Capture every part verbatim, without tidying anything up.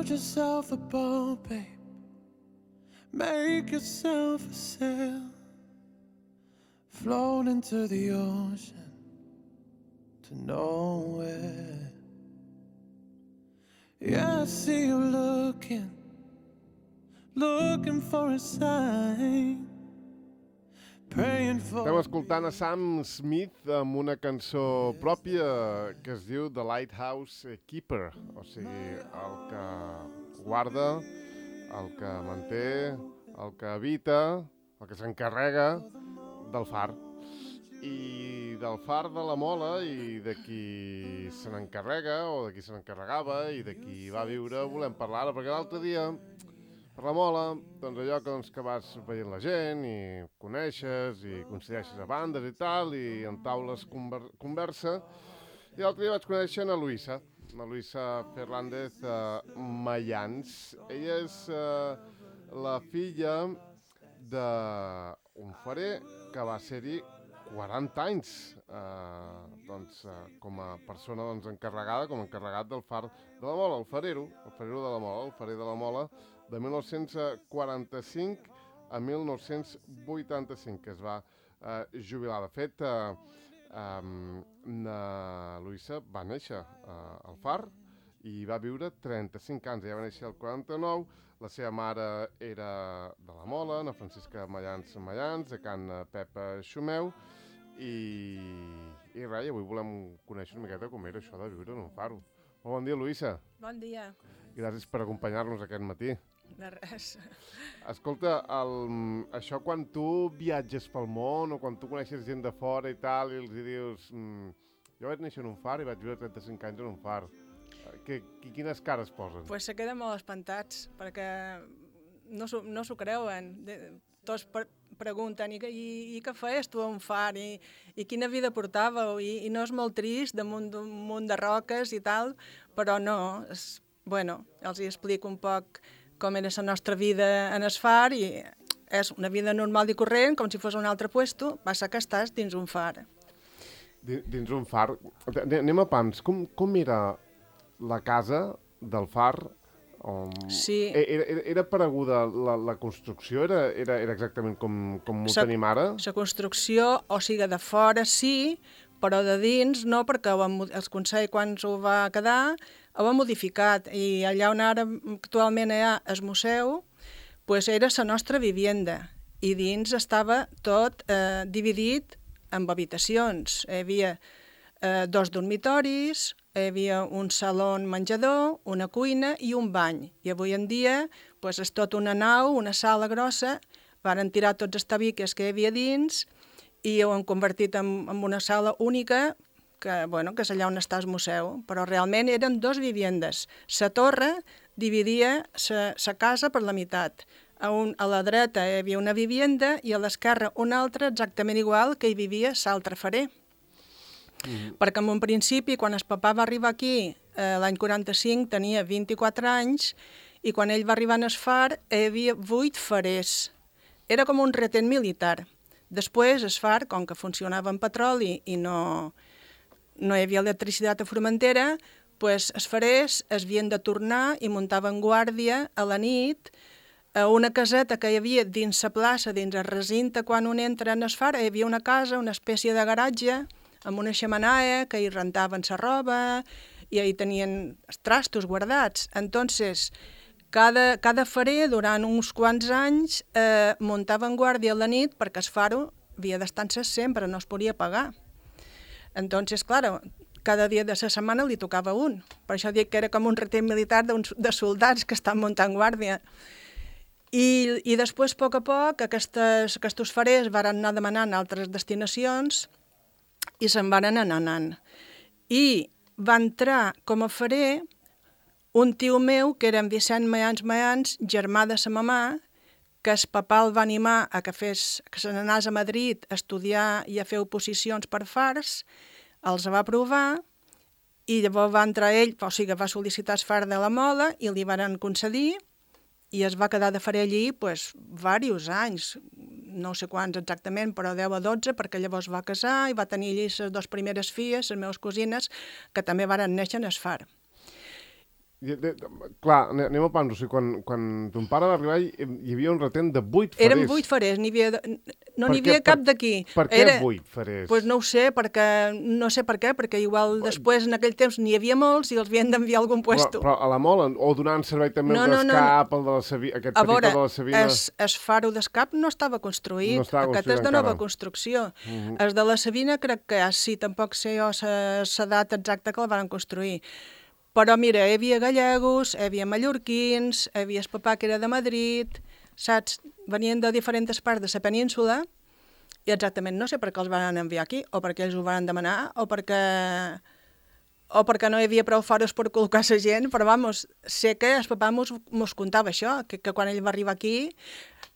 Build yourself a boat, babe. Make yourself a sail. Float into the ocean to nowhere. Yeah, I see you looking, looking for a sign. Estem escoltant a Sam Smith amb una cançó pròpia que es diu The Lighthouse Keeper, o sigui, el que guarda, el que manté, el que habita, el que s'encarrega del far. I del far de la Mola i de qui se n'encarrega o de qui se n'encarregava i de qui va viure volem parlar ara, perquè l'altre dia per la Mola, doncs allò que, doncs, que vas veient la gent i coneixes i coincideixes a bandes i tal, i en taules conver conversa. I l'altre dia vaig conèixer a Luisa, a Luisa Fernández uh, Mayans. Ella és uh, la filla d'un farer que va ser-hi quaranta anys uh, doncs, uh, com a persona doncs, encarregada, com a encarregat del far de la Mola, el farero, el farero de la Mola, el farer de la Mola, de mil nou-cents quaranta-cinc a mil nou-cents vuitanta-cinc, que es va eh, jubilar. De fet, eh, eh, na Luisa va néixer eh, al Far i va viure trenta-cinc anys. Ella va néixer al quaranta-nou, la seva mare era de la Mola, na Francisca Mayans Mayans, de Can Pepa Xumeu, i, i res, avui volem conèixer una miqueta com era això de viure en un faro. Molt bon dia, Luisa. Bon dia. Gràcies per acompanyar-nos aquest matí. De res. Escolta, el, això quan tu viatges pel món o quan tu coneixes gent de fora i tal i els dius mmm, jo vaig néixer en un far i vaig viure trenta-cinc anys en un far, que, que, quines cares posen? Pues se queden molt espantats perquè no s'ho no creuen. De, tots per, pregunten i, i, i què feies tu a un far i, i quina vida portàveu i, i no és molt trist damunt d'un munt de roques i tal, però no, és, bueno, els hi explico un poc com era la nostra vida en el far i és una vida normal i corrent, com si fos un altre puesto, passa que estàs dins un far. Dins un far. Anem a pams. Com, com era la casa del far? Um, sí. Era, era, era pareguda la, la construcció? Era, era, era exactament com, com ho tenim ara? La construcció, o sigui, de fora sí, però de dins no, perquè el Consell, quan s'ho va quedar, ho ha modificat, i allà on ara actualment hi ha el museu, pues era la nostra vivienda, i dins estava tot eh, dividit en habitacions. Hi havia eh, dos dormitoris, hi havia un saló menjador, una cuina i un bany. I avui en dia pues, és tot una nau, una sala grossa, varen tirar tots els tabiques que hi havia dins i ho han convertit en, en una sala única, que, bueno, que és allà on està el museu, però realment eren dos viviendes. La torre dividia la casa per la meitat. A, un, a la dreta hi havia una vivienda i a l'esquerra una altra exactament igual que hi vivia l'altre farer. Mm. Perquè en un principi, quan el papà va arribar aquí, eh, l'any quaranta-cinc, tenia vint-i-quatre anys, i quan ell va arribar en el far hi havia vuit farers. Era com un retén militar. Després, el far, com que funcionava amb petroli i no... no hi havia electricitat a Formentera, pues, els farers es havien de tornar i muntaven guàrdia a la nit a una caseta que hi havia dins la plaça, dins el recinte, quan un entra en el far, hi havia una casa, una espècie de garatge, amb una xemenaia, que hi rentaven la roba i hi tenien els trastos guardats. Entonces, cada, cada farer, durant uns quants anys, eh, muntaven guàrdia a la nit perquè el faro havia d'estar encès sempre, no es podia pagar. Entonces, claro, cada dia de la setmana li tocava un. Per això dic que era com un retén militar de soldats que estan muntant guàrdia. I, i després, a poc a poc, aquestes, aquests farers van anar demanant altres destinacions i se'n van anar anant. I va entrar com a farer un tio meu, que era en Vicent Mayans Mayans, germà de sa mamà, que el papà el va animar a que, fes, que se n'anés a Madrid a estudiar i a fer oposicions per fars, els va aprovar i llavors va entrar ell, o sigui, va sol·licitar el far de la Mola i li van concedir i es va quedar de farer allí pues, diversos anys, no sé quants exactament, però deu a dotze, perquè llavors va casar i va tenir allí les dues primeres filles, les meves cosines, que també varen néixer en el far. I, de, de, clar, anem a pams, o sigui, quan, quan ton pare va arribar hi, hi havia un retent de vuit farers. Eren vuit farers, n'hi havia, no Per n'hi què- havia cap per- d'aquí. Per què Era, vuit farers? Pues no ho sé, perquè, no sé per què, perquè igual després en aquell temps n'hi havia molts i els havien d'enviar a algun però, puesto. però a la mola, o donant servei també No, el no, no, d'escap, el de la Sabina, aquest A petit veure, de la Sabina... es, es faro d'escap no estava construït, No estava aquest construït és de nova encara. construcció. Uh -huh. Els de la Sabina crec que ja sí, tampoc sé jo la data exacta que el van construir. Però mira, hi havia gallegos, hi havia mallorquins, hi havia el papà que era de Madrid, saps? Venien de diferents parts de la península i exactament no sé per què els van enviar aquí, o perquè ells ho van demanar, o perquè o perquè no hi havia prou faros per col·locar la gent, però vamos, sé que el papà mos, mos contava això, que, que quan ell va arribar aquí,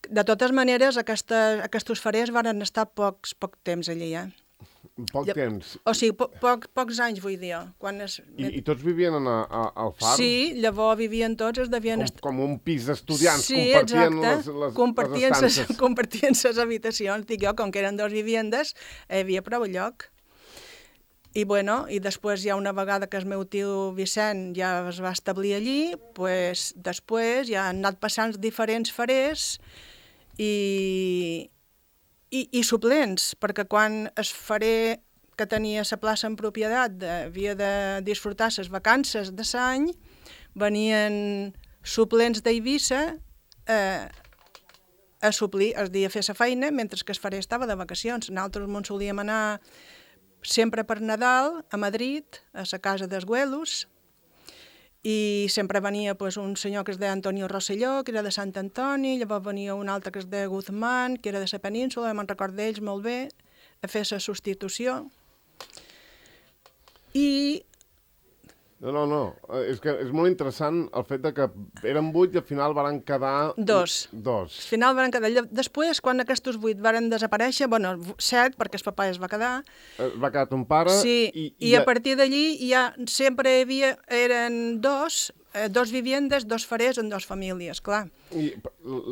de totes maneres, aquesta, aquests farers van estar pocs, poc temps allí, eh? Poc Ja- temps. O sigui, po, poc, pocs anys, vull dir. Quan es... I, I tots vivien en a, a, al far? Sí, llavors vivien tots, es devien... Com, est- com un pis d'estudiants, Sí, compartien exacte. les, les, compartien les ses, estances. compartien ses habitacions. Dic jo, com que eren dos viviendes, hi havia prou lloc. I bueno, i després ja una vegada que el meu tio Vicent ja es va establir allí, pues, després ja han anat passant diferents farers i, i, i suplents, perquè quan el farer que tenia la plaça en propietat de, havia de disfrutar les vacances de l'any, venien suplents d'Eivissa eh, a suplir, és a dir, a fer la feina, mentre que el farer estava de vacacions. Nosaltres ens solíem anar sempre per Nadal a Madrid, a la casa dels Güelos, i sempre venia pues, un senyor que es deia Antonio Rosselló, que era de Sant Antoni, llavors venia un altre que es deia Guzmán, que era de la península, me'n record d'ells molt bé, a fer la substitució. I No, no, no. Eh, És que és molt interessant el fet de que eren vuit i al final van quedar... Dos. Dos. al final van quedar... Després, quan aquests vuit varen desaparèixer, bueno, set, perquè el papà es va quedar, Es va quedar ton pare sí, i... i, i a partir d'allí ja sempre hi havia, eren dos, eh, dos viviendes, dos farers en dos famílies, clar. I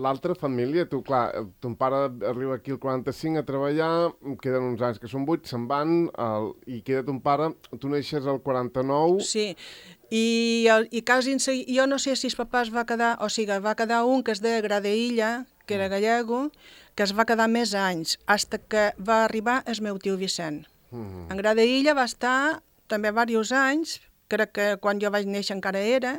l'altra família, tu, clar, ton pare arriba aquí al quaranta-cinc a treballar, queden uns anys que són vuit, se'n van, el, i queda ton pare, tu neixes al quaranta-nou... Sí, i, el- i quasi en segui- jo no sé si el papà es va quedar, o sigui, va quedar un que es deia Gradeilla, que era gallego, que es va quedar més anys, fins que va arribar el meu tio Vicent. Mm. En Gradeilla va estar també diversos anys, crec que quan jo vaig néixer encara era.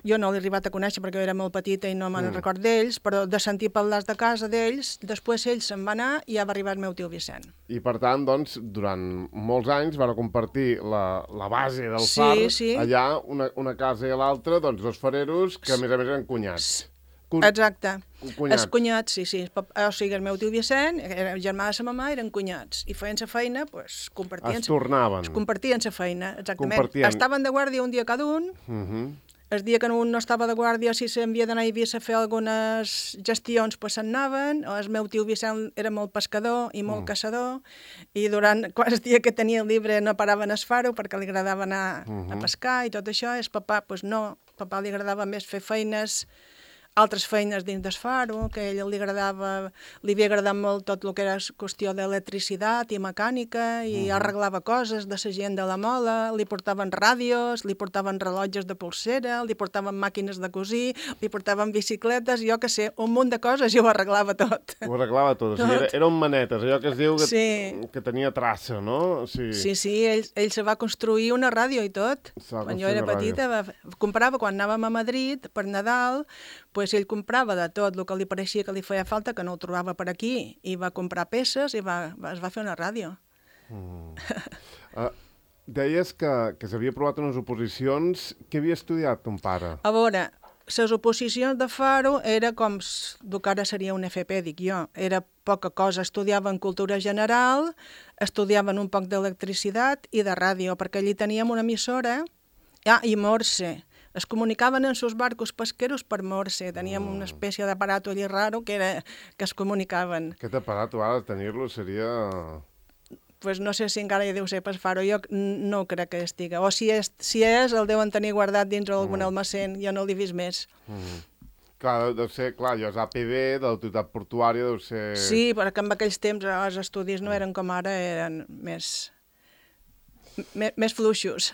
Jo no l'he arribat a conèixer perquè jo era molt petita i no me'n Mm. record d'ells, però de sentir parlar de casa d'ells, després ell se'n va anar i ja va arribar el meu tio Vicent. I per tant, doncs, durant molts anys van compartir la, la base del Sí, far, sí. allà, una, una casa i l'altra, doncs, dos fareros que, a més a més, eren cunyats. Cu Exacte. cunyats. Els cunyats, sí, sí. El pap- O sigui, el meu tio Vicent, era el germà de sa mamà, eren cunyats. I feien la feina, pues, compartien... Es tornaven. Es compartien la feina, exactament. Compartien. Estaven de guàrdia un dia cada un. Uh -huh. El dia que un no estava de guàrdia, si s'havia d'anar a Eivissa a fer algunes gestions, pues se'n anaven. O el meu tio Vicent era molt pescador i molt Mm. caçador. I durant quants dies que tenia llibre no paraven a faro perquè li agradava anar a Mhm. pescar i tot això. El papà, pues no. Al papà li agradava més fer feines, altres feines dins del faro, que a ell li agradava, li havia agradat molt tot el que era qüestió d'electricitat i mecànica, i arreglava coses de la gent de la mola, li portaven ràdios, li portaven rellotges de polsera, li portaven màquines de cosir, li portaven bicicletes, jo que sé, un munt de coses i ho arreglava tot. Ho arreglava tot. O sigui, era, eren manetes, allò que es diu que, Sí. que tenia traça, no? O sigui, Sí, sí, ell, ell se va construir una ràdio i tot. Se va Quan jo construir era una ràdio. petita, va, comprava, quan anàvem a Madrid per Nadal, pues ell comprava de tot el que li pareixia que li feia falta, que no ho trobava per aquí, i va comprar peces i va, va, es va fer una ràdio. Uh, deies que, que s'havia aprovat unes oposicions. Què havia estudiat ton pare? A veure, les oposicions de Faro era com s- el que ara seria un F P, dic jo. Era poca cosa. Estudiaven cultura general, estudiaven un poc d'electricitat i de ràdio, perquè allí teníem una emissora, ah, i Morse. Es comunicaven en sus barcos pesqueros per Morse. Teníem una espècie d'aparato allí raro que, era, que es comunicaven. Aquest aparat, tu ara tenir-lo seria... Pues no sé si encara hi deu ser per Faro, jo n- no crec que estiga. O si és, si és el deuen tenir guardat dins algun almacén, jo no l'he vist més. Mm. Clar, deu ser, clar, allò és A P B, de l'autoritat portuària, deu ser... Sí, perquè en aquells temps els estudis no eren com ara, eren més, més, més fluixos.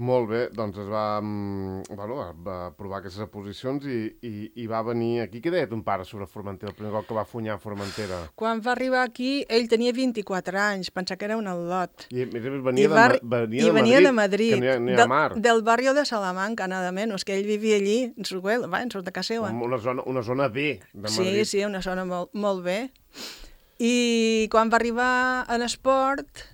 Molt bé, doncs es va, mm, bueno, va provar aquestes posicions i, i, i va venir aquí. Què deia ton pare sobre Formentera, el primer cop que va funyar a Formentera? Quan va arribar aquí, ell tenia vint-i-quatre anys, pensava que era un al·lot. I a més a més venia, I va, de, Ma- venia, i de venia Madrid, de Madrid, que no hi ha, no hi ha del, mar. del barri de Salamanca, nada menos, que ell vivia allí, en Suguel, va, en surt de casa seva. Una zona, una zona B de Madrid. Sí, sí, una zona molt, molt bé. I quan va arribar en esport,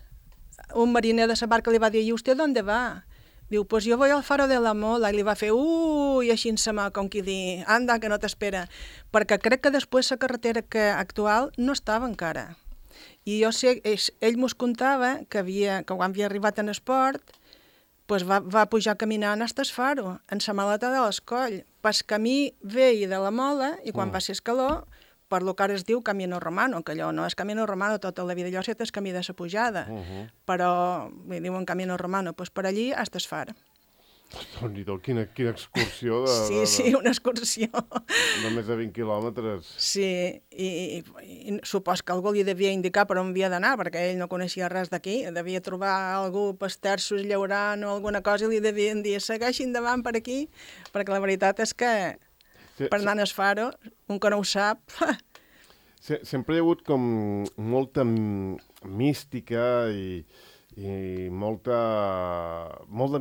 un mariner de la barca li va dir, i vostè d'on va? Diu, pues yo voy al faro de la Mola. I li va fer, ui, així en sa mà, com qui dir, anda, que no t'espera. Perquè crec que després la carretera que actual no estava encara. I jo sé, ell, ell mos contava que, havia, que quan havia arribat en esport, pues va, va pujar caminant hasta el faro, en sa maleta de l'escoll, pas camí vell de la Mola, i quan mm. va ser escaló, per lo que ara es diu Camino Romano, que allò no és Camino Romano, tota la vida allò set és camí de sa pujada, uh -huh. però li diuen Camino Romano, doncs per allí hasta es far. Déu-n'hi-do, quina, quina excursió de, Sí, de, de, sí, una excursió. de més de vint quilòmetres. Sí, i, i, i supos que algú li devia indicar per on havia d'anar, perquè ell no coneixia res d'aquí, devia trobar algú pas terços llaurant o alguna cosa i li devien dir, segueixi endavant per aquí, perquè la veritat és que per anar a Faro, un que no ho sap... Sempre hi ha hagut com molta mística i, i molta, molt de,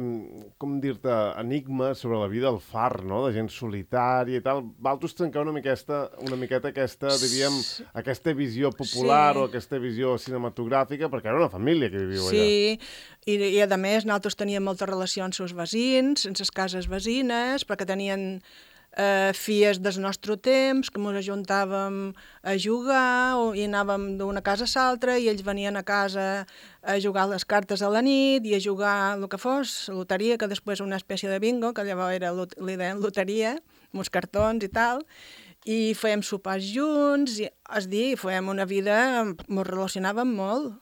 com dir-te, enigma sobre la vida al far, no?, de gent solitària i tal. Valtos trencar una miqueta, una miqueta aquesta, diríem, aquesta visió popular sí. o aquesta visió cinematogràfica, perquè era una família que viviu allà. Sí, i, i a més nosaltres teníem molta relació amb els veïns, amb les cases veïnes, perquè tenien... Uh, fies del nostre temps, que ens ajuntàvem a jugar o, i anàvem d'una casa a l'altra i ells venien a casa a jugar les cartes a la nit i a jugar el que fos, loteria, que després una espècie de bingo, que llavors era, li deien loteria, amb els cartons i tal, i fèiem sopars junts, i, és dir, fèiem una vida, ens relacionàvem molt.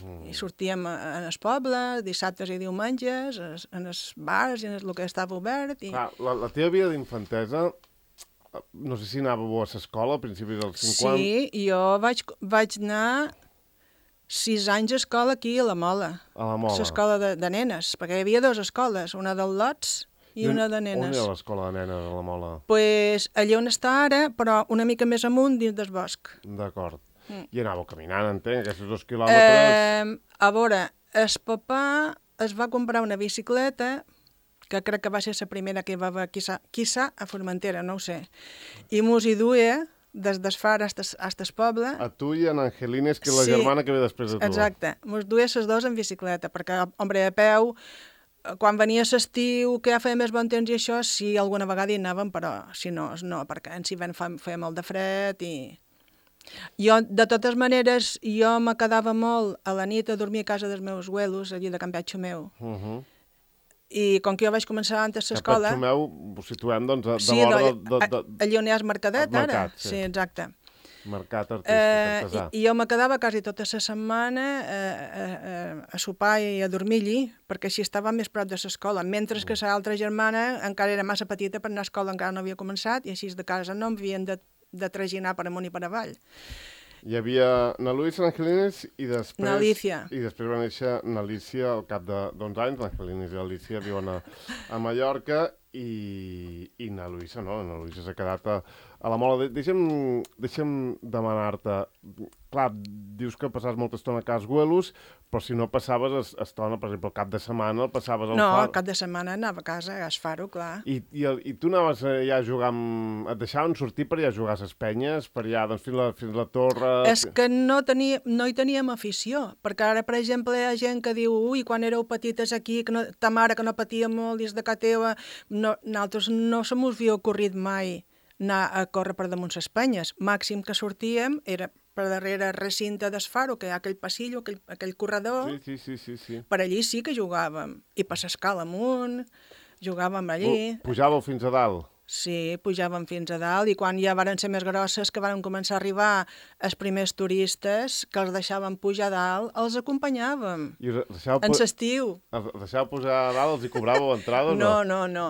Mm. I sortíem en el poble, dissabtes i diumenges, en els bars i en el que estava obert. I... Clar, la, la teva vida d'infantesa, no sé si anàveu a l'escola a principis dels cinquanta... Sí, jo vaig, vaig anar sis anys a escola aquí a la Mola. A la Mola. A l'escola de, de nenes, perquè hi havia dues escoles, una dels lots i, I una de nenes. On era l'escola de nenes a la Mola? Doncs pues, allà on està ara, però una mica més amunt dins del bosc. D'acord. Mm. I anàveu caminant, entenc, aquests dos quilòmetres... Eh, a veure, el papà es va comprar una bicicleta, que crec que va ser la primera que va haver, quizà, quizà a Formentera, no ho sé, i mos hi duia des d'Esfar fins al poble. A tu i a Angelines, que és la sí, germana que ve després de tu. Exacte, mos duia les dues en bicicleta, perquè, hombre, a peu, quan venia l'estiu, que ja feia més bon temps i això, sí, alguna vegada hi anàvem, però si no, no, perquè en si feia molt de fred i... Jo, de totes maneres, jo me quedava molt a la nit a dormir a casa dels meus abuelos, allí de Can Betxumeu. Uh -huh. I com que jo vaig començar antes l'escola... Can Betxumeu, ho situem, doncs, de, sí, de l'hora de, de, de, de... allí on hi ha el mercadet, el mercat, ara. Sí. sí, exacte. Mercat artístic, eh, artesà. I, I jo me quedava quasi tota la setmana eh, eh, a sopar i a dormir allí, perquè així estava més prop de l'escola, mentre mm. que l'altra germana encara era massa petita per anar a escola, encara no havia començat, i així de casa no em havien de de traginar per amunt i per avall. Hi havia na Luisa, Angelines i després... N'Alícia. I després va néixer n'Alícia al cap d'onze anys. L'Angelines i l'Alícia viuen a, a Mallorca i, i na Luisa, no? Na Luisa s'ha quedat a, a la Mola. Deixa'm, deixa'm demanar-te... Clar, dius que passaves molta estona a casa Güelos, però si no passaves estona, per exemple, el cap de setmana, el passaves al no, far... No, el cap de setmana anava a casa a Esfaro, clar. I, i, I tu anaves ja a jugar amb... Et deixaven sortir per allà a jugar a les penyes, per allà, doncs, fins la, fins la torre... És que no, tenia, no hi teníem afició, perquè ara, per exemple, hi ha gent que diu ui, quan éreu petites aquí, que no, ta mare que no patia molt dins de casa teva... No, nosaltres no se mos havia ocorrit mai anar a córrer per damunt les penyes. Màxim que sortíem era per darrere el recinte d'Esfaro, que hi ha aquell passillo, aquell, aquell corredor. Sí, sí, sí, sí. Per allí sí que jugàvem. I per l'escala amunt, jugàvem allí. Pujàveu fins a dalt? Sí, pujàvem fins a dalt, i quan ja varen ser més grosses, que varen començar a arribar els primers turistes, que els deixàvem pujar a dalt, els acompanyàvem. I deixàveu en l'estiu. Els deixàveu pujar a dalt, els hi cobràveu entrada o no? No, no, no.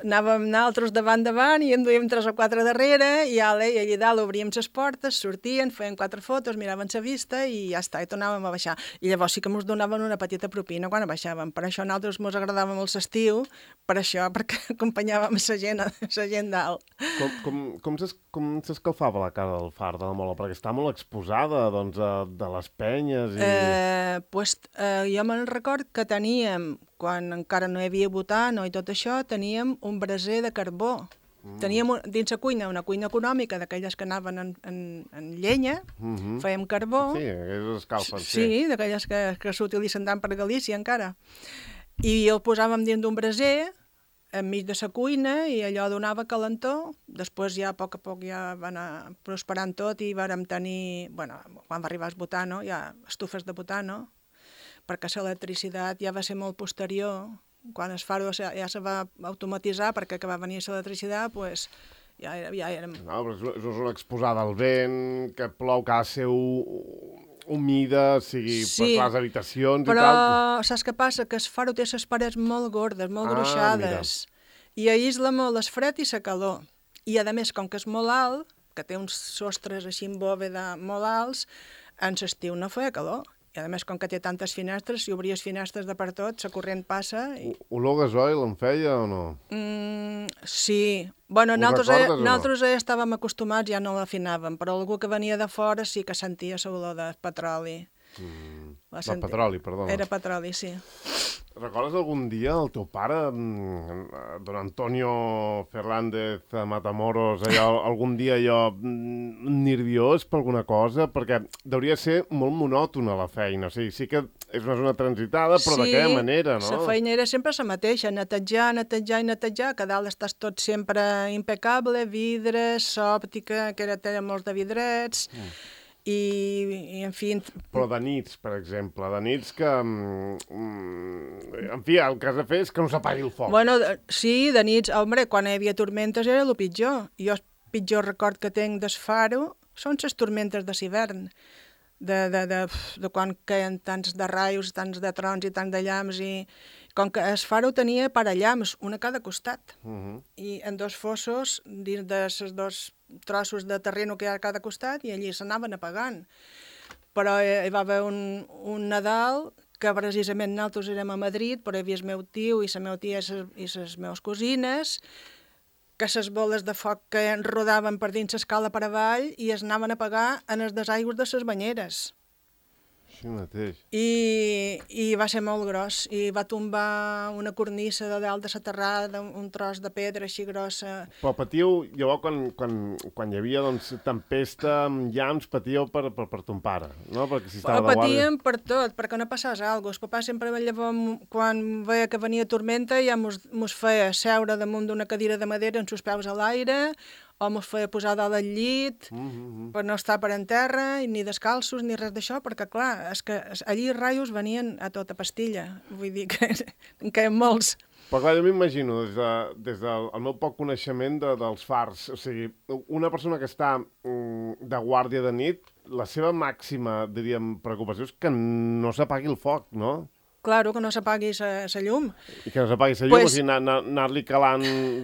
anàvem nosaltres davant davant i en duíem tres o quatre darrere i ja, i allà dalt obríem les portes, sortien, feien quatre fotos, miraven la vista i ja està, i tornàvem a baixar. I llavors sí que ens donaven una petita propina quan baixàvem. Per això a nosaltres ens agradava molt l'estiu, per això, perquè acompanyàvem la gent, la gent dalt. Com, com, com, s'es, com s'escalfava la cara del far de la Mola? Perquè està molt exposada, doncs, a, de les penyes i... Eh, pues, eh, jo me'n record que teníem, quan encara no hi havia butano i tot això, teníem un braser de carbó. Mm. Teníem un, dins la cuina una cuina econòmica d'aquelles que anaven en, en, en llenya, mm -hmm. fèiem carbó. Sí, aquelles escalfen. Sí, sí d'aquelles que, que s'utilitzen tant per Galícia encara. I el posàvem dins d'un braser, enmig de la cuina, i allò donava calentor. Després ja a poc a poc ja va anar prosperant tot i vàrem tenir, bueno, quan va arribar el butano, ja estufes de butano, perquè l'electricitat ja va ser molt posterior. Quan el faro ja, ja se va automatitzar, perquè que va venir l'electricitat, pues, ja, era, ja érem... No, però és, és una exposada al vent, que plou, que ha de ser humida, sigui sí, per les habitacions però, i tal. Però saps què passa? Que el faro té les parets molt gordes, molt ah, gruixades, mira. I aïsla molt el fred i la calor. I a més, com que és molt alt, que té uns sostres així en bòveda molt alts, en l'estiu no feia calor. I a més, com que té tantes finestres, si obries finestres de per tot, la corrent passa... I... Olor gasoil en feia o no? Mm, sí. Bueno, nosaltres, eh, nosaltres no? eh, estàvem acostumats, ja no l'afinàvem, però algú que venia de fora sí que sentia l'olor de petroli. Mm, de senti... petroli, perdó. Era petroli, sí. Recordes algun dia el teu pare, don Antonio Fernández Matamoros, allò, algun dia allò nerviós per alguna cosa? Perquè hauria de ser molt monòtona la feina. O sigui, sí que és una zona transitada, però sí, d'aquella manera, no? Sí, la feina era sempre la mateixa, netejar, netejar i netejar, que dalt estàs tot sempre impecable, vidres, òptica, que era tenen molts de vidrets... Mm. I, i, en fi... Però de nits, per exemple, de nits que... Mm, en fi, el que has de fer és que no s'apagui el foc. Bueno, sí, de nits, home, quan hi havia tormentes era el pitjor. Jo el pitjor record que tinc del faro són les tormentes de l'hivern, de, de, de, de quan caien tants de raios, tants de trons i tants de llams, i com que el faro tenia parallams, una a cada costat, uh -huh. i en dos fossos, dins de les dos trossos de terreno que hi ha a cada costat, i allí s'anaven apagant. Però hi va haver un, un Nadal que precisament nosaltres érem a Madrid, però hi havia el meu tio i la meva tia i les meves cosines, que les boles de foc que rodaven per dins l'escala per avall i es anaven a apagar en els desaigües de les banyeres. Així mateix. I, I va ser molt gros, i va tombar una cornissa de dalt de la terrada, un tros de pedra així grossa. Però patíeu, llavors, quan, quan, quan hi havia doncs, tempesta amb llamps, patíeu per, per, per ton pare, no? Perquè si estava de guàrdia... Patíem per tot, perquè no passés alguna cosa. El papà sempre, llavors, quan veia que venia tormenta, ja mos, mos feia seure damunt d'una cadira de madera amb els peus a l'aire, o mos feia posar dalt del llit, mm -hmm. per no estar per en terra, ni descalços, ni res d'això, perquè, clar, és que allí els raios venien a tota pastilla. Vull dir que en caien molts. Però clar, jo m'imagino, des, de, des del meu poc coneixement de, dels fars, o sigui, una persona que està mm, de guàrdia de nit, la seva màxima, diríem, preocupació és que no s'apagui el foc, no? Claro, que no s'apagui la llum. I que no s'apagui la llum, pues, o sigui, anar-li calant...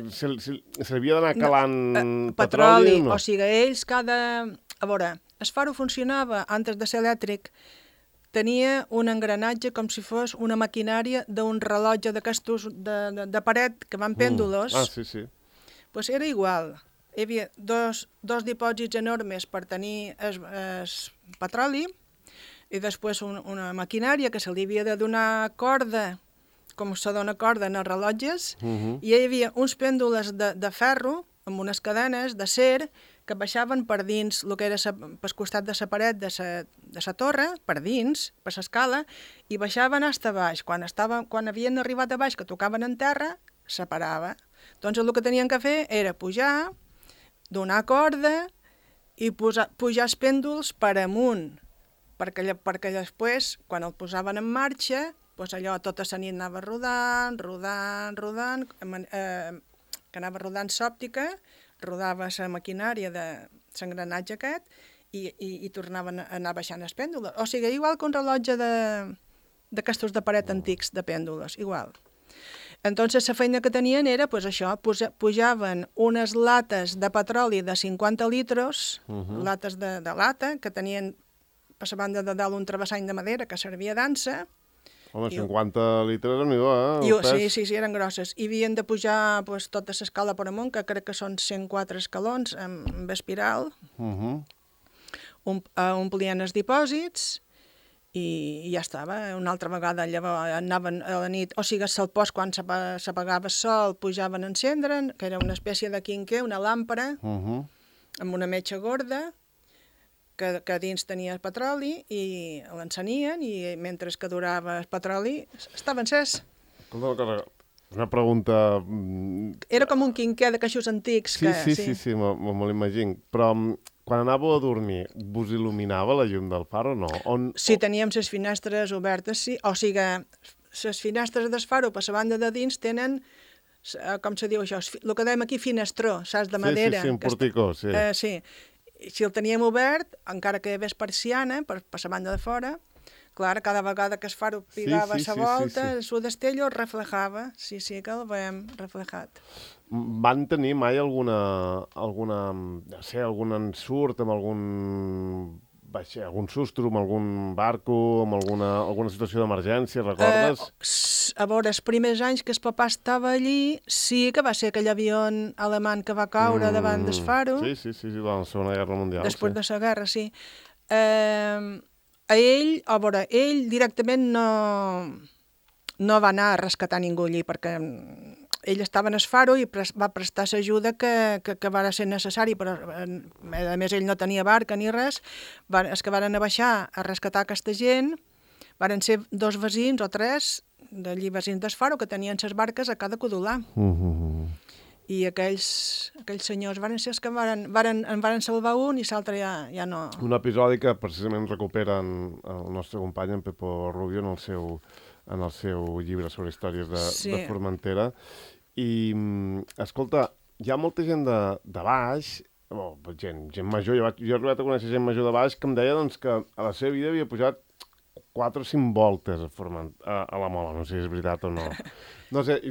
Se, se, se havia d'anar calant no, eh, petroli, petroli no? O sigui, ells cada... A veure, el faro funcionava, antes de ser elèctric, tenia un engranatge com si fos una maquinària d'un rellotge d'aquestos de, de, de paret que van pèndulos. Mm. Ah, sí, sí. Pues era igual. Hi havia dos, dos dipòsits enormes per tenir el, el petroli, i després un, una maquinària que se li havia de donar corda, com se dona corda en els rellotges, uh -huh. i hi havia uns pèndoles de, de ferro, amb unes cadenes d'acer, que baixaven per dins el que era sa, pel costat de la paret de sa, de sa torre, per dins, per l'escala, i baixaven fins a baix. Quan, estava, quan havien arribat a baix, que tocaven en terra, separava. Doncs el que tenien que fer era pujar, donar corda i posar, pujar els pèndols per amunt, perquè, perquè després, quan el posaven en marxa, doncs allò tota la nit anava rodant, rodant, rodant, eh, que anava rodant l'òptica, rodava la maquinària de l'engranatge aquest i, i, i tornaven a anar baixant els pèndoles. O sigui, igual que un rellotge d'aquestos de, de paret antics de pèndoles, igual. Entonces, la feina que tenien era, pues això, pujaven unes lates de petroli de cinquanta litros, uh -huh. lates de, de lata, que tenien a la banda de dalt un travessany de madera que servia d'ansa. Home, cinquanta litres, déu-n'hi-do, eh? I, sí, sí, sí, eren grosses. I havien de pujar pues, tota l'escala per amunt, que crec que són cent quatre escalons, amb, amb espiral. Uh -huh. um, uh, omplien els dipòsits, i ja estava. Una altra vegada llavors anaven a la nit, o sigui, al post, quan s'apagava el sol, pujaven a encendre'n, que era una espècie de quinquer, una làmpara, uh -huh. amb una metxa gorda, que, que dins tenia el petroli, i l'encenien, i mentre que durava el petroli, estava encès. Escolta, una pregunta... Era com un quinquer de caixos antics. Sí, que, sí, sí, sí, sí me, me l'imagino. Però... Quan anàveu a dormir, vos il·luminava la llum del far o no? On, sí, teníem les finestres obertes, sí. O sigui, les finestres del faro per la banda de dins tenen, com se diu això, el que dèiem aquí, finestró, saps, de madera. Sí, sí, sí, un porticó, sí. Eh, sí. Si el teníem obert, encara que hi hagués persiana, per, per la banda de fora, clar, cada vegada que el faro pigava sí, sí, la volta, sí, sí, sí. el seu destello reflejava. Sí, sí, que el veiem reflejat. Van tenir mai alguna, alguna, no sé, algun ensurt amb algun, vaig, algun sustro, amb algun barco, amb alguna, alguna situació d'emergència, recordes? Uh, a veure, els primers anys que el papà estava allí, sí que va ser aquell avió alemany que va caure mm, davant del faro. Sí, sí, sí, sí, va, la Segona Guerra Mundial. Després sí. de la guerra, sí. Uh, a ell, a veure, ell directament no, no va anar a rescatar ningú allí, perquè ell estava en el faro i pres va prestar l'ajuda que, que, que va ser necessari, però a més ell no tenia barca ni res. Va, els que van a baixar a rescatar aquesta gent van ser dos veïns o tres d'allí veïns del faro que tenien les barques a cada codolà. Uh -huh. I aquells, aquells senyors van ser els que varen, varen, en van salvar un i l'altre ja, ja no... Un episodi que precisament recuperen el nostre company, en Pepo Rubio, en el seu, en el seu llibre sobre històries de, sí. de Formentera. I, escolta, hi ha molta gent de, de baix, oh, gent, gent major, jo, jo he arribat a conèixer gent major de baix que em deia doncs, que a la seva vida havia pujat quatre o cinc voltes a, Forment, a, a la Mola, no sé si és veritat o no. No sé,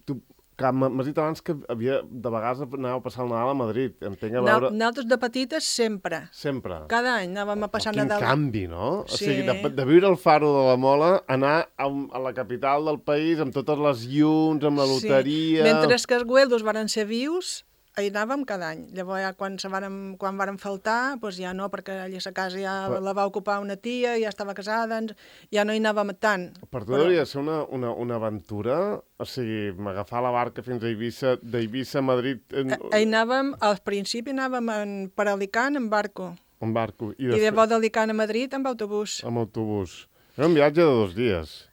tu... M'has dit abans que havia, de vegades anàveu a passar el Nadal a Madrid. Entenc a veure... Nosaltres de petites sempre. Sempre? Cada any anàvem a passar oh, quin Nadal. Quin canvi, no? Sí. O sigui, de, de viure al Faro de la Mola, anar a, a la capital del país amb totes les llums, amb la loteria... Sí. Mentre que els güeldos van ser vius, hi anàvem cada any. Llavors, ja quan, se varen, quan varen faltar, doncs ja no, perquè allà a la casa ja Però... la va ocupar una tia, ja estava casada, ja no hi anàvem tant. Per tu Però... hauria de ser una, una, una aventura? O sigui, agafar la barca fins a Eivissa, d'Eivissa a Madrid... En... Hi anàvem, al principi anàvem en, per Alicant en barco. En barco. I, després... I llavors d'Alicant a Madrid amb autobús. Amb autobús. Era un viatge de dos dies.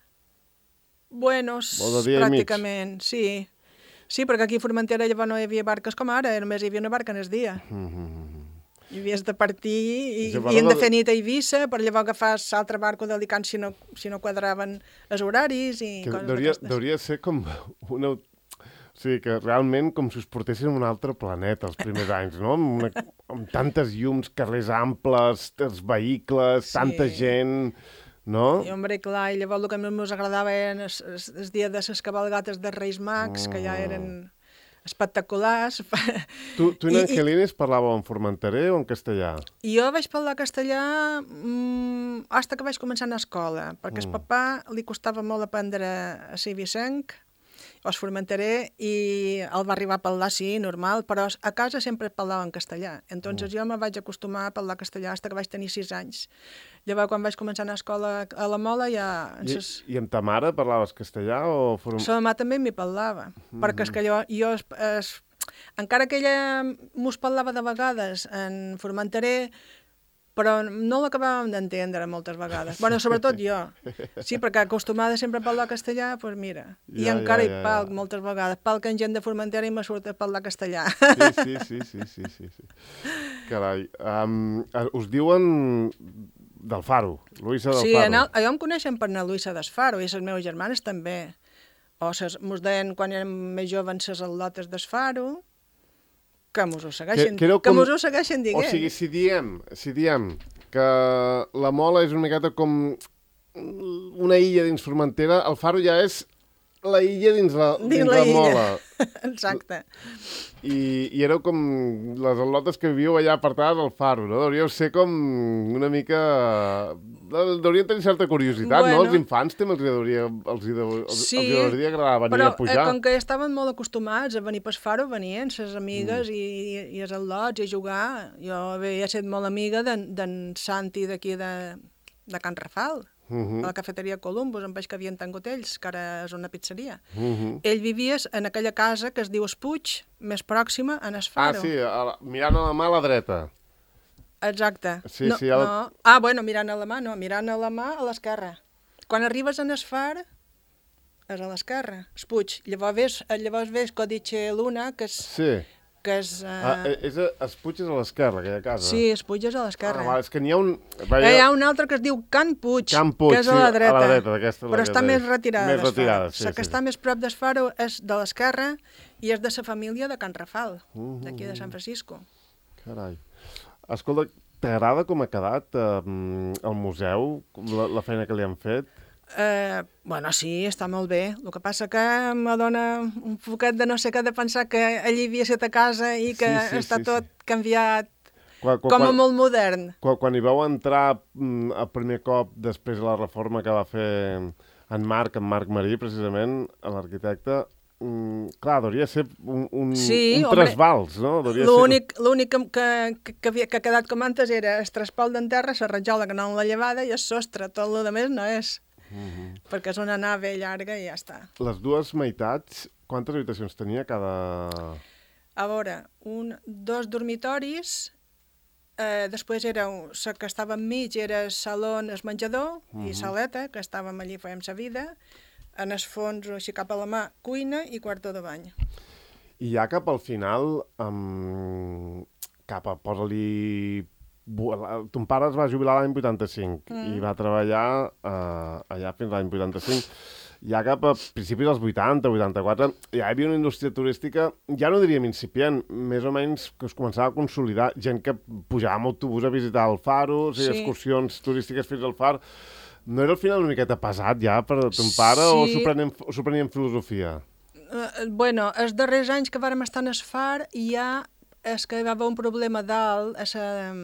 Buenos, pràcticament, sí. Sí, perquè aquí a Formentera llavors no hi havia barques com ara, només hi havia una barca en el dia. Mm-hmm. I havies de partir i havien de fer nit a Eivissa per llavors agafar l'altre barco d'Alicant si, no, si no quadraven els horaris i que coses deuria, d'aquestes. Deuria ser com una... O sigui, que realment com si us portessin a un altre planeta els primers anys, no? Amb, una, amb tantes llums, carrers amples, els vehicles, sí. Tanta gent... No? I, hombre, clar, i llavors el que més ens agradava eren els, els, els dies de les cabalgates de Reis Mags, mm. que ja eren espectaculars. Tu, tu i l'Angelines parlàveu en formenterè o en castellà? Jo vaig parlar castellà mmm, fins que vaig començar a escola, perquè mm. el papà li costava molt aprendre a ser vicenc, o es formenterè, i el va arribar a parlar, sí, normal, però a casa sempre parlava en castellà. Entonces mm. jo me vaig acostumar a parlar castellà fins que vaig tenir sis anys. Llavors, quan vaig començar a anar a escola a la Mola, ja... I, ses... I amb ta mare parlaves castellà o... Form... La mare també m'hi parlava, mm -hmm. perquè és que jo, jo es, es, encara que ella mos parlava de vegades en formenterè, però no l'acabàvem d'entendre moltes vegades. Bueno, sobretot jo. Sí, perquè acostumada sempre a parlar castellà, doncs mira. I ja, encara ja, ja, hi palc ja. moltes vegades. Palc en gent de Formentera i me surt a parlar castellà. Sí, sí, sí, sí, sí, sí. Carai. Um, us diuen del Faro, Luisa del sí, Faro. Sí, allò em coneixen per anar Luisa del Faro, i les meves germanes també. O ses, mos deien, quan érem més jovens, les al·lotes del Faro, que mos ho segueixen, que, que, que mos ho segueixen dient. O sigui, si diem, si diem que la Mola és una miqueta com una illa dins Formentera, el Faro ja és la illa dins la, Dins dins la la illa. mola. Exacte. I, I éreu com les al·lotes que vivíeu allà apartades al faro, no? Deuríeu ser com una mica... Deurien tenir certa curiositat, Bueno. no? Els infants també els hi deuria, els hi deu, els, Sí, els hi hauria agradar venir però a pujar. eh, com que estaven molt acostumats a venir pel faro, venien ses amigues mm. i, i els al·lots i a jugar. Jo havia estat molt amiga d'en Santi d'aquí de, de Can Rafal, Uh -huh. a la cafeteria Columbus, amb el que havien tingut ells, que ara és una pizzeria. Uh -huh. Ell vivia en aquella casa que es diu Espuig, més pròxima, en el faro. Ah, sí, a la, mirant a la mà a la dreta. Exacte. Sí, no, sí, el... no. Ah, bueno, mirant a la mà, no, mirant a la mà a l'esquerra. Quan arribes en el far, és a l'esquerra, Espuig. Llavors ves, llavors ves Codice Luna, que és... Sí. Que és, uh... Ah, és a, Espuig és a l'esquerra, aquella casa. Sí, Espuig és a l'esquerra. Ah, va, és que n'hi ha un... Va, hi ha un altre que es diu Can Puig, Can Puig, que és a la dreta, sí, a la dreta d'aquesta. però està més retirada. Més retirada, sí, La que sí. està més prop d'Esfaro és de l'esquerra i és de la família de Can Rafal, Uh -huh. d'aquí de Sant Francisco. Carai. Escolta, t'agrada com ha quedat eh, el museu, la, la feina que li han fet? Eh, bueno, sí, està molt bé. El que passa que me dona un poquet de no sé què de pensar que allí havia estat a casa i que Sí, sí, està sí, tot sí. canviat Quan, quan, com a quan, molt modern. quan, quan hi vau entrar mm, el primer cop després de la reforma que va fer en Marc, en Marc Marí, precisament, l'arquitecte, mm, clar, hauria de ser un, un, Sí, un hombre, trasbals, no? Hauria de ser- L'únic l'únic que, que, que, havia, que ha quedat com antes era el traspal d'enterra, la rajola que no la llevada i el sostre. Tot el que més no és. Uh -huh. Perquè és una nave llarga i ja està. Les dues meitats, quantes habitacions tenia cada... A veure, un, dos dormitoris, eh, després era un, la que estava enmig era el saló, el menjador uh -huh. i saleta, que estàvem allí, fèiem sa vida. En el fons, així cap a la mà, cuina i quarto de bany. I ja cap al final, um, cap a, posa-li... Ton pare es va jubilar l'any vuitanta-cinc mm. i va treballar uh, allà fins l'any vuitanta-cinc. Ja cap a principis dels vuitanta, vuitanta-quatre, ja hi havia una indústria turística, ja no diríem incipient, més o menys que es començava a consolidar, gent que pujava amb autobús a visitar el faro, o sigui, sí. excursions turístiques fins al far. No era al final una miqueta pesat ja per a ton pare sí. o s'ho prenia en filosofia? Uh, bueno, els darrers anys que vàrem estar en el far ja és que hi va haver un problema dalt a la...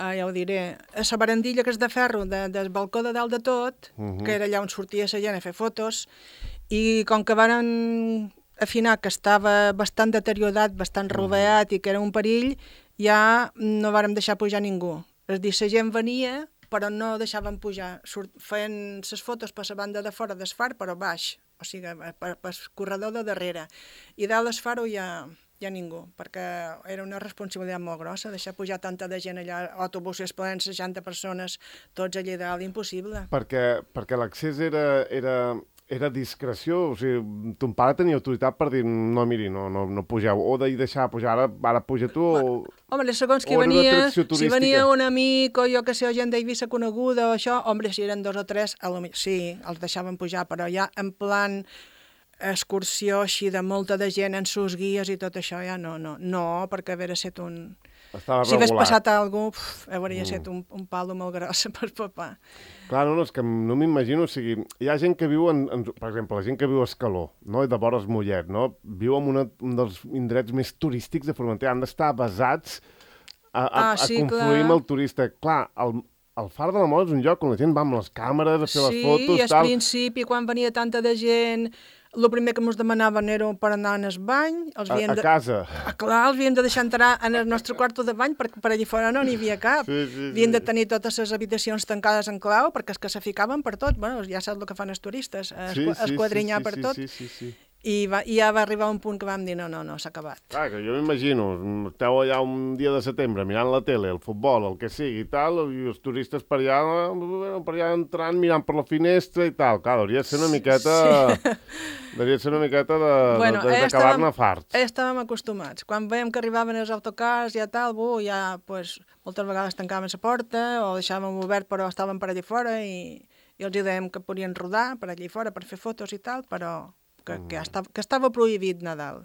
Ah, ja ho diré, a la barandilla que és de ferro, de, del balcó de dalt de tot, uh -huh. que era allà on sortia la gent a fer fotos, i com que varen afinar que estava bastant deteriorat, bastant roveat uh -huh. i que era un perill, ja no vàrem deixar pujar ningú. És dir, la gent venia, però no deixaven pujar. Surt, feien les fotos per la banda de fora del far, però baix, o sigui, per, per el corredor de darrere. I dalt del faro ja... hi ha ningú, perquè era una responsabilitat molt grossa, deixar pujar tanta de gent allà, autobusos plens, seixanta persones, tots allà dalt, impossible. Perquè, perquè l'accés era, era, era discreció, o sigui, ton pare tenia autoritat per dir, no, miri, no, no, no pugeu, o de deixar pujar, ara, ara puja tu, o... Home, segons qui venia, si venia un amic, o jo que sé, o gent d'Eivissa coneguda, o això, home, si eren dos o tres, sí, els deixaven pujar, però ja en plan... excursió així de molta de gent en sus guies i tot això, ja no, no, no, perquè hauria estat un... Estava si hagués regulat. passat alguna cosa, hauria estat mm. un, un palo molt gros per papà. Clar, no, no, és que no m'imagino, o sigui, hi ha gent que viu, en, en, per exemple, la gent que viu a Escaló, no?, i de vores Mollet, no?, viu en una, un dels indrets més turístics de Formentera, han d'estar basats a, a, ah, sí, a confluir clar. amb el turista. Clar, el, el Far de la Mola és un lloc on la gent va amb les càmeres a fer sí, les fotos, i al tal. principi, quan venia tanta de gent... El primer que ens demanaven era per anar en el bany. Els a, a de... casa. Ah, clar, els havíem de deixar entrar en el nostre quarto de bany perquè per allà fora no n'hi havia cap. Sí, sí, sí. Havien de tenir totes les habitacions tancades en clau perquè és que se ficaven per tot. Bueno, ja saps el que fan els turistes, sí, esquadrinyar sí, sí, per sí, tot. Sí, sí, sí. I, va, I ja va arribar un punt que vam dir no, no, no, s'ha acabat. Clar, que jo m'imagino, esteu allà un dia de setembre mirant la tele, el futbol, el que sigui i tal, i els turistes per allà, per allà entrant, mirant per la finestra i tal. Clar, hauria de ser una miqueta... Sí. Hauria de ser una miqueta de, bueno, de, d'acabar-ne farts. Ja estàvem acostumats. Quan veiem que arribaven els autocars i ja tal, bu, ja pues, moltes vegades tancaven la porta o deixàvem obert però estaven per allà fora i, i els dèiem que podien rodar per allà fora per fer fotos i tal, però... Que, que, estava, que estava prohibit Nadal.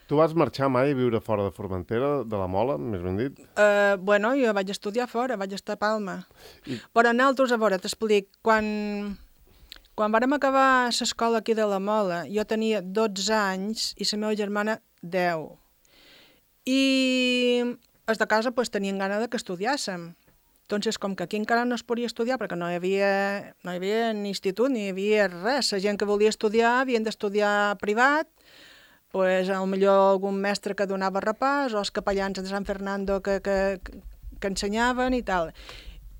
Tu vas marxar mai a viure fora de Formentera, de la Mola, més ben dit? Uh, bueno, jo vaig estudiar fora, vaig estar a Palma. I... Però nosaltres, a veure, t'explic, quan, quan vàrem acabar l'escola aquí de la Mola, jo tenia dotze anys i la meva germana deu. I els de casa pues, tenien gana de que estudiàssim. Entonces, com que aquí encara no es podia estudiar, perquè no hi havia, no hi havia ni institut ni hi havia res, la gent que volia estudiar havien d'estudiar privat, pues, potser algun mestre que donava repàs, o els capellans de Sant Fernando que, que, que ensenyaven i tal.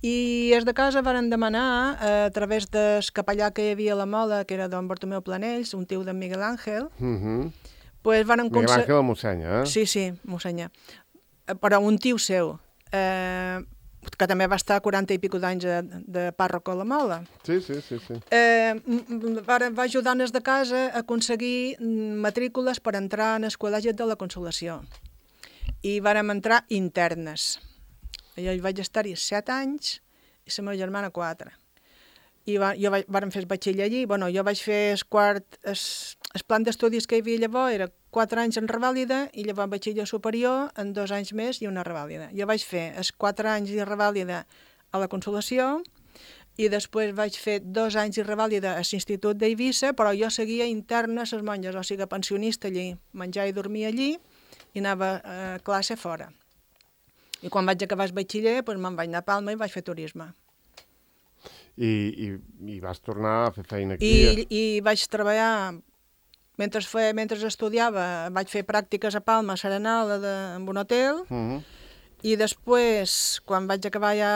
I els de casa varen demanar, eh, a través del capellà que hi havia a la Mola, que era don Bartomeu Planells, un tio de Miguel Ángel, Uh-huh. pues varen Miguel conse- Ángel el mossenya, eh? Sí, sí, mossenya. Eh, Però un tio seu, eh, que també va estar quaranta i pico d'anys de, de pàrroco a la Mola. Sí, sí, sí, sí. Eh, m- m- va, va ajudar els de casa a aconseguir mm, matrícules per entrar en el col·legi de la Consolació. I vàrem entrar internes. Jo hi vaig estar-hi set anys i la meva germana quatre. I va, jo vaig, vàrem fer el batxiller allí. Bueno, jo vaig fer el quart... El, el plan d'estudis que hi havia llavors era quatre anys en revàlida i llavors batxiller superior en dos anys més i una revàlida. Jo vaig fer els quatre anys de revàlida a la Consolació i després vaig fer dos anys de revàlida a l'Institut d'Eivissa, però jo seguia interna a les monges, o sigui, pensionista allí. Menjar i dormir allí i anava a classe fora. I quan vaig acabar el batxiller, doncs me'n vaig anar a Palma i vaig fer turisme. I, i, i vas tornar a fer feina aquí. I, i vaig treballar, mentre, fe, mentre estudiava, vaig fer pràctiques a Palma, a Serenal, de, en un hotel, Uh-huh. i després, quan vaig acabar ja,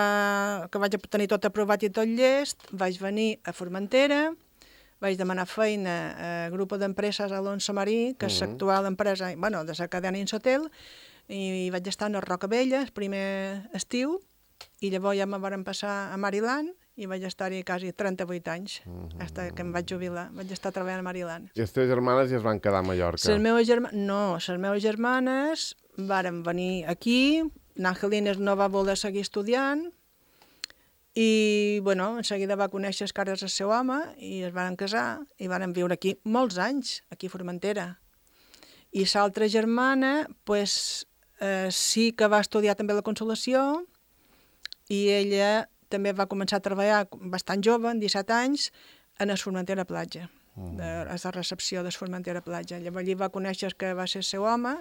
que vaig tenir tot aprovat i tot llest, vaig venir a Formentera, vaig demanar feina a Grupo d'Empreses Alonso Marí, que és Mhm. l'actual empresa, bueno, de la cadena Insotel, i vaig estar a Rocavella el primer estiu, i llavors ja me varen passar a Maryland, i vaig estar-hi quasi trenta-vuit anys, Mhm. fins que em vaig jubilar. Vaig estar treballant a Maryland. I les teves germanes ja es van quedar a Mallorca. Les meves germanes... No, les meves germanes varen venir aquí, l'Angelines no va voler seguir estudiant, i, bueno, en seguida va conèixer els cares del seu home, i es van casar, i varen viure aquí molts anys, aquí a Formentera. I l'altra germana, pues, eh, sí que va estudiar també a la Consolació, i ella també va començar a treballar bastant jove, amb disset anys, en el Formentera Platja, Mm. de, a la recepció del Formentera Platja. Llavors allí va conèixer el que va ser el seu home,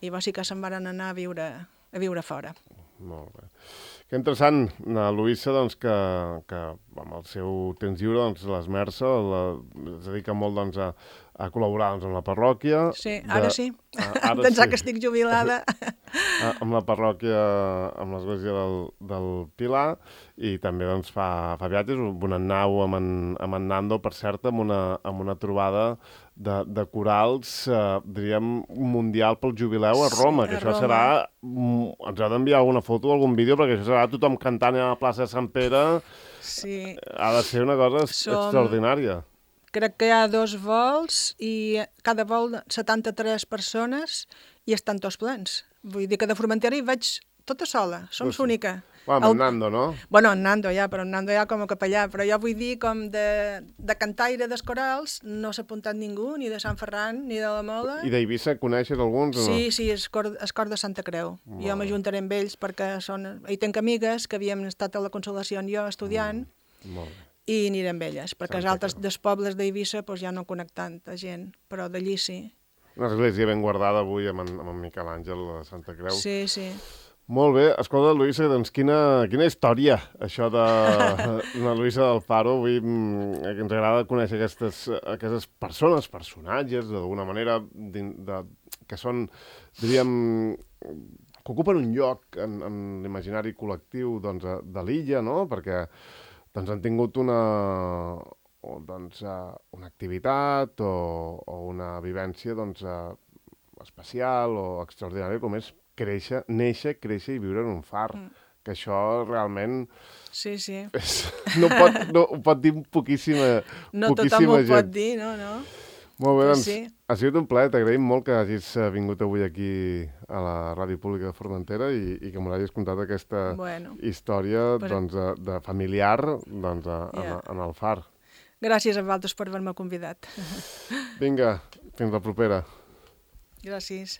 i va sí que se'n van anar a viure, a viure fora. Molt bé. Que interessant, la Luïssa, doncs, que, que amb el seu temps lliure, doncs, l'esmerça, la, es dedica molt, doncs, a, a col·laborar, doncs, amb la parròquia. Sí, ara de- sí. Ah, ara Pensar sí. que estic jubilada. a- amb la parròquia, amb l'església del, del Pilar, i també doncs, fa, fa viatges, un en nau amb en, amb en Nando, per cert, amb una, amb una trobada de, de corals, eh, diríem, mundial pel jubileu a Sí, Roma, a que això Roma. serà... mm, Ens ha d'enviar alguna foto o algun vídeo, perquè això serà tothom cantant a la plaça de Sant Pere. Sí. Ha de ser una cosa Som- extraordinària. Crec que hi ha dos vols i cada vol setanta-tres persones i estan tots plens. Vull dir que de Formentera hi vaig tota sola, som Pues sí. l'única. Bueno, amb en Nando, no? Bueno, en Nando ja, però en Nando ja com a capellà, però jo vull dir com de, de cantaire dels corals no s'ha apuntat ningú, ni de Sant Ferran, ni de la Mola. I d'Eivissa coneixes alguns o no? Sí, sí, és cor, és cor de Santa Creu. Molt Jo bé. m'ajuntaré amb ells perquè són... Hi tenc amigues que havíem estat a la Consolació en jo estudiant, Molt bé. i aniré amb elles, perquè els Santa altres Creu. dels pobles d'Eivissa pues, ja no conec tanta gent, però d'allí sí. Una església ben guardada avui amb en, amb en Miquel Àngel a Santa Creu. Sí, sí. Molt bé. Escolta, Luïssa, doncs quina, quina història, això de la Luïssa del Faro. Avui mm, que ens agrada conèixer aquestes, aquestes persones, personatges, d'alguna manera, din- de, que són, diríem, que ocupen un lloc en, en l'imaginari col·lectiu doncs, de, de l'illa, no? Perquè doncs, han tingut una, o, doncs, eh, una activitat o, o una vivència doncs, eh, especial o extraordinària com és créixer, néixer, créixer i viure en un far. Mm. Que això realment Sí, sí. és, no, pot, no ho pot dir poquíssima, No tothom poquíssima ho gent. pot dir, no, no. Molt bé, Però doncs, sí. ha sigut un plaer. T'agraïm molt que hagis eh, vingut avui aquí a la Ràdio Pública de Formentera i, i que m'ho hagis contat aquesta Bueno, història pues- doncs, de, de familiar doncs, a, Ja. en, en el far. gràcies a vosaltres per haver-me convidat. Vinga, fins la propera. Gràcies.